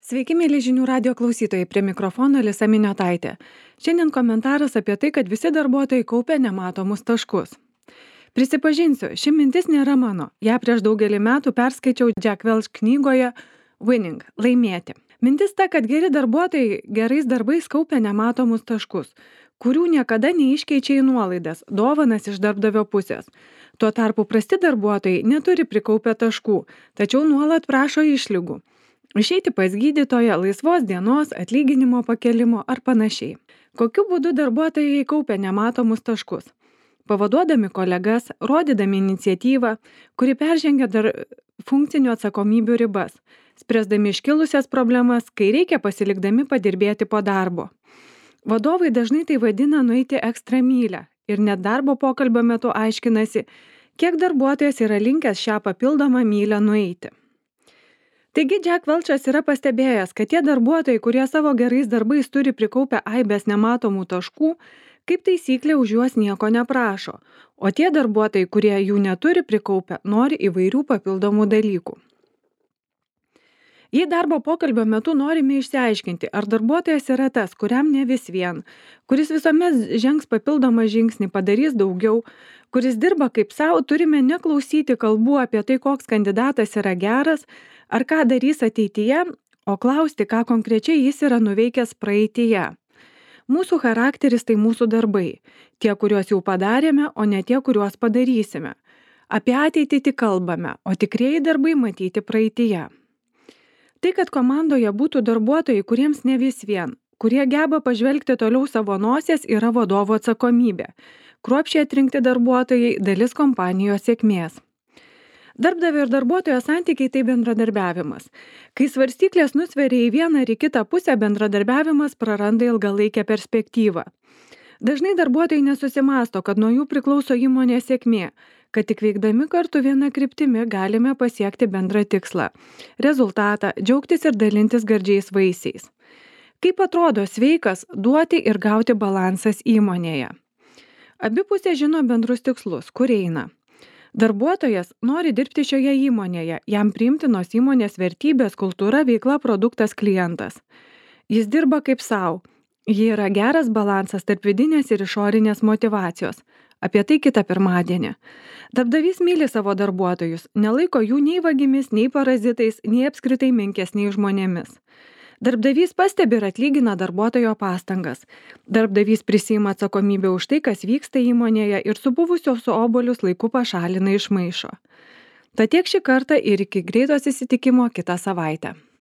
Sveiki, mėly žinių radio klausytojai, prie mikrofono Alisa Miniotaitė. Šiandien komentaras apie tai, kad visi darbuotojai kaupia nematomus taškus. Prisipažinsiu, ši mintis nėra mano. Ja prieš daugelį metų perskaičiau Jack Welch knygoje Winning – laimėti. Mintis ta, kad geri darbuotojai gerais darbais kaupia nematomus taškus, kurių niekada neiškeičia į nuolaidas, dovanas iš darbdavio pusės. Tuo tarpu prasti darbuotojai neturi prikaupę taškų, tačiau nuolat prašo išlygų. Išeiti pas gydytoją, laisvos dienos, atlyginimo pakelimo ar panašiai. Kokiu būdu darbuotojai kaupia nematomus taškus? Pavaduodami kolegas, rodydami iniciatyvą, kuri peržengia funkcinių atsakomybių ribas, spręsdami iškilusias problemas, kai reikia pasilikdami padirbėti po darbo. Vadovai dažnai tai vadina nueiti ekstra mylią ir net darbo pokalbio metu aiškinasi, kiek darbuotojas yra linkęs šią papildomą mylią nueiti. Taigi Jack Welchas yra pastebėjęs, kad tie darbuotojai, kurie savo gerais darbais turi prikaupę aibės nematomų taškų, kaip taisyklė už juos nieko neprašo, o tie darbuotojai, kurie jų neturi prikaupę, nori įvairių papildomų dalykų. Jei darbo pokalbio metu norime išsiaiškinti, ar darbuotojas yra tas, kuriam ne vis vien, kuris visuomet žengs papildomą žingsnį, padarys daugiau, kuris dirba kaip savo, turime neklausyti kalbų apie tai, koks kandidatas yra geras, ar ką darys ateityje, o klausti, ką konkrečiai jis yra nuveikęs praeityje. Mūsų charakteris tai mūsų darbai, tie, kuriuos jau padarėme, o ne tie, kuriuos padarysime. Apie ateitį tik kalbame, o tikrieji darbai matyti praeityje. Tai, kad komandoje būtų darbuotojai, kuriems ne vis vien, kurie geba pažvelgti toliau savo nosies, yra vadovo atsakomybė. Kruopščiai atrinkti darbuotojai – dalis kompanijos sėkmės. Darbdavio ir darbuotojo santykiai tai bendradarbiavimas. Kai svarstyklės nusveria į vieną ar į kitą pusę, bendradarbiavimas praranda ilgalaikę perspektyvą. Dažnai darbuotojai nesusimąsto, kad nuo jų priklauso įmonės sėkmė, kad tik veikdami kartu viena kryptimi galime pasiekti bendrą tikslą, rezultatą, džiaugtis ir dalintis gardžiais vaisiais. Kaip atrodo sveikas duoti ir gauti balansas įmonėje? Abi pusės žino bendrus tikslus, kur eina. Darbuotojas nori dirbti šioje įmonėje, jam priimtinos įmonės vertybės, kultūra, veikla, produktas, klientas. Jis dirba kaip savo. Ji yra geras balansas tarp vidinės ir išorinės motyvacijos. Apie tai kitą pirmadienį. Darbdavys myli savo darbuotojus, nelaiko jų nei vagimis, nei parazitais, nei apskritai menkesniais žmonėmis. Darbdavys pastebi ir atlygina darbuotojo pastangas. Darbdavys prisiima atsakomybę už tai, kas vyksta įmonėje ir supuvusios obuolius laiku pašalina iš maišo. Tad tiek šį kartą ir iki greito susitikimo kitą savaitę.